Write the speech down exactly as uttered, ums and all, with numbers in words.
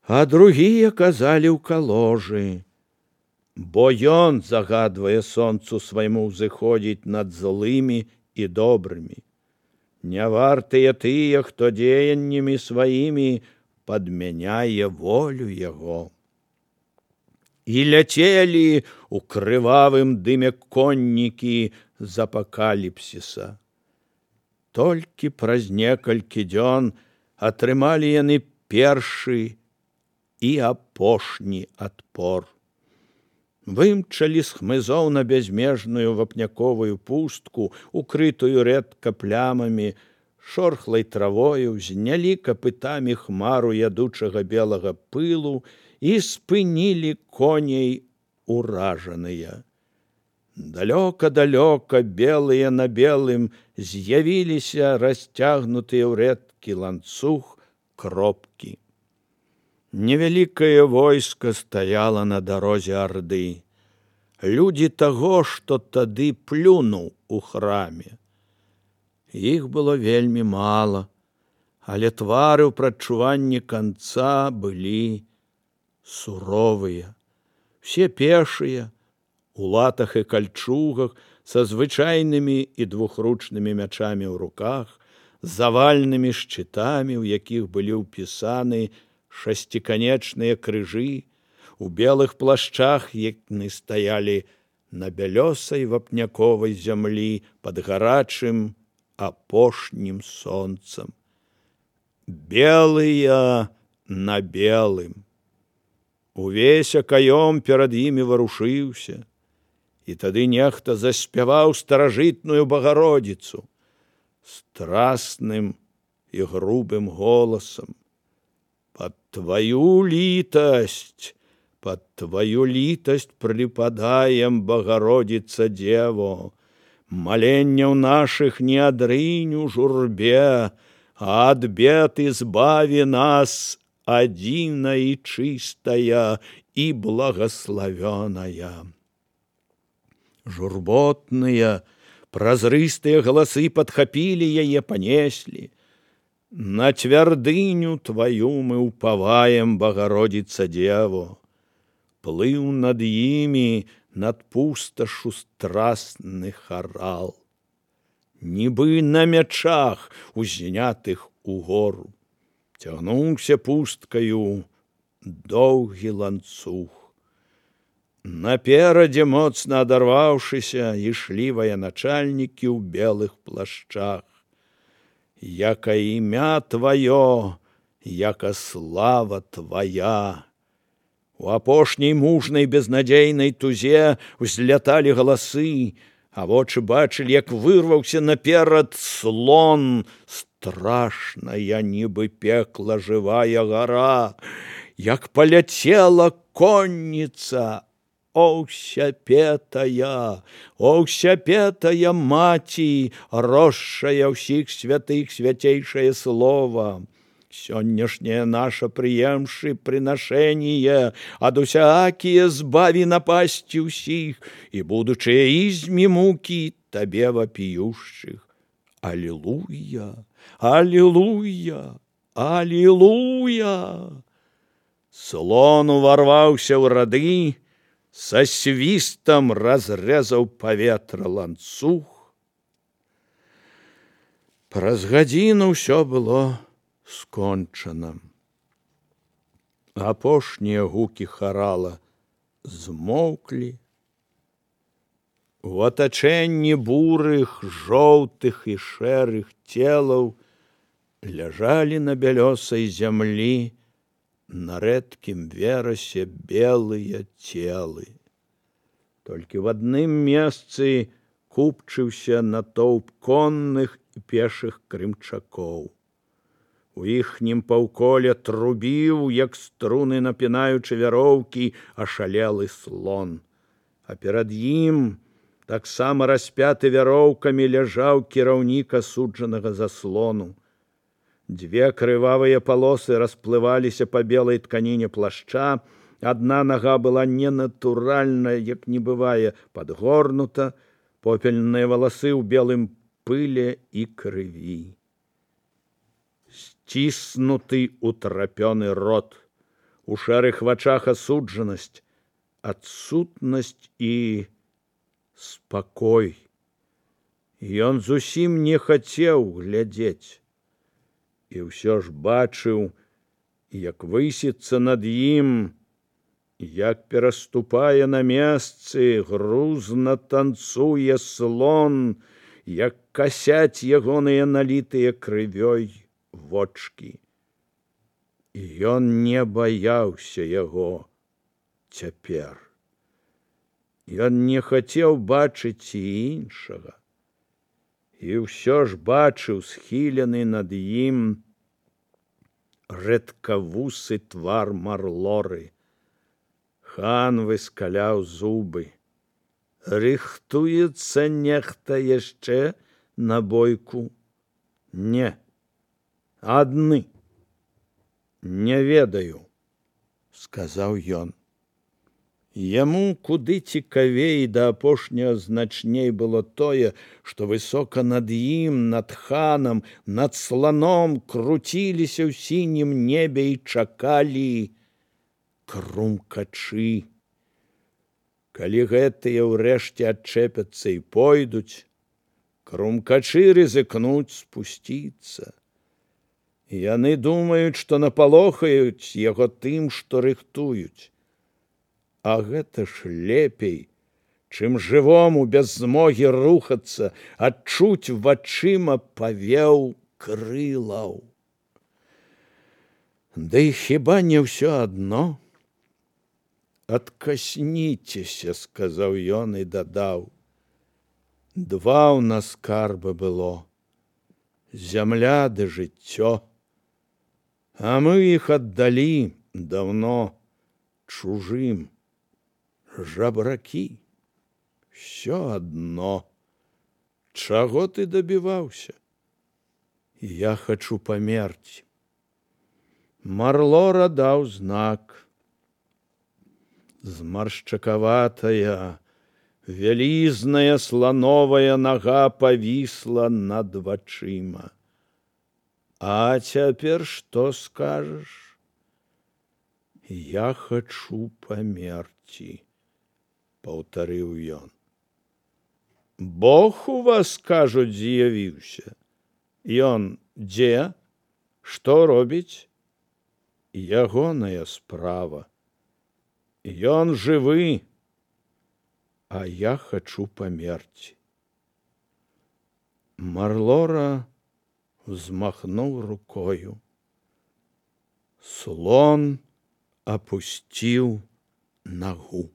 а другія казалі ў каложы. Бо ён загадвае сонцу свайму ўзыходзіць над злымі і добрымі. Не вартыя тыя, хто дзеяннямі сваімі падмяняе волю яго. І ляцелі ў крывавым дыме коннікі з апакаліпсіса. Толькі праз некалькі дзён атрымалі яны першы і апошні адпор. Вымчалі з хмызоў на бязмежную вапняковую пустку, укрытую рэдка плямамі, шорхлай травою, знялі капытамі хмару ядучага белага пылу і спынілі коней уражаныя. Далёка-далёка, белыя на белым, з'явіліся расцягнутыя ў рэдкі ланцуг кропкі. Невялікае войска стаяла на дарозе Арды. Людзі таго, што тады плюнуў у храме. Іх было вельмі мала, але твары ў прадчуванні канца былі суровыя. Все пешыя, у латах і кальчугах, са звычайнымі і двухручнымі мячамі ў руках, завальнымі шчытамі, у якіх былі ўпісаны шасціканечныя крыжы, у белых плашчах, яны стаялі на бялёсай вапняковай зямлі пад гарачым апошнім сонцам. Белыя на белым. Увесь акаём перад імі варушыўся, і тады нехта заспяваў старажытную Багародзіцу страсным і грубым голасам. Под твою літасць, под твою літасць припадаем, Багародзіца Дзево, маленняў наших не адрынь у журбе, а ад бед избави нас, адзіна і чыстая і благословенная. Журботныя, празрыстыя галасы падхапілі яе, панеслі. На цвярдыню твою мы упаваем, Багародзіца Дзево. Плыў над імі, над пусташу страстны харал. Нібы на мячах, узнятых угору, цягнуўся пусткаю доўгі ланцуг. Наперадзе, моцна адарваўшыся, ішлі военачальнікі ў белых плашчах. Яка імя твоё, яка слава твоя. У апошняй мужнай безнадзейнай тузе узляталі галасы, а вочы бачылі, як вырваўся наперад слон, страшная, нібы пекла жывая гара, як паляцела конніца. О, ўсяпетая, о, ўсяпетая маці, росшая ўсіх святых свяцейшае слова. Сённяшняе наша прыемшы прынашэнне ад усякія збаві напасці ўсіх і будучыя ізмі мукі табе вапіющых. Алілуя, алілуя, алілуя. Слон уварваўся ў рады, са свістам разрэзаў паветра ланцуг. Праз гадзіну ўсё было скончана. Апошнія гукі харала змоўклі. У атачэнні бурых, жоўтых і шэрых целаў ляжалі на бялёсай зямлі на рэдкім верасе белыя целы. Толькі в адным месцы купчыўся натоўп конных і пешых крымчакоў. У іхнім паўколе трубіў, як струны напінаючы вяроўкі, ашалелы слон. А перад ім, таксама распяты вяроўкамі, ляжаў кіраўнік асуджанага заслону. Две крывавыя палосы расплываліся па белай тканіне плашча, адна нага была ненатуральна, як не бывае, падгорнута, попельныя валасы ў белым пыле і крыві. Сціснуты утрапёны рот, у шэрых вачах асуджанасць, адсутнасць і спакой. Ён зусім не хацеў глядзець. І ўсё ж бачыў, як высіцца над ім, як пераступае на месцы, грузна танцуе слон, як касяць ягоныя налітыя крывёй вочкі. І ён не баяўся яго цяпер. Ён не хацеў бачыць і іншага. І ўсё ж бачыў схілены над ім рэдкавусы твар Марлоры. Хан выскаляў зубы. Рыхтуецца нехта яшчэ на бойку? Не. Адны. Не ведаю, сказаў ён. Яму куды цікавей да апошняга значней было тое, што высока над ім, над ханам, над сланом круціліся ў сінім небе і чакалі крумкачы. Калі гэтыя ўрэшце адчэпяцца і пойдуць, крумкачы рызыкнуць спусціцца. Яны думаюць, што напалохаюць яго тым, што рыхтуюць. А гэта ж лепей, чым жывому без змогі рухацца, адчуць вачыма павеў крылаў. Да і хіба не ўсё адно? Адкасніцеся, сказаў ён і дадаў. Два ў нас скарба было. Зямля ды жыццё. А мы іх аддалі даўно чужым. Жабракі. Всё адно. Чаго ты дабіваўся? Я хачу памерці. Марлора даў знак. Змаршчакаватая, вялізная слановая нага павісла над вачыма. А цяпер што скажаш? Я хачу памерці, паўтарыў ён. Бог у вас, кажуць, з'явіўся. Ён дзе? Што робіць? Ягоная справа. Ён жывы, а я хачу памерці. Марлора взмахнуў рукою. Слон опусціў нагу.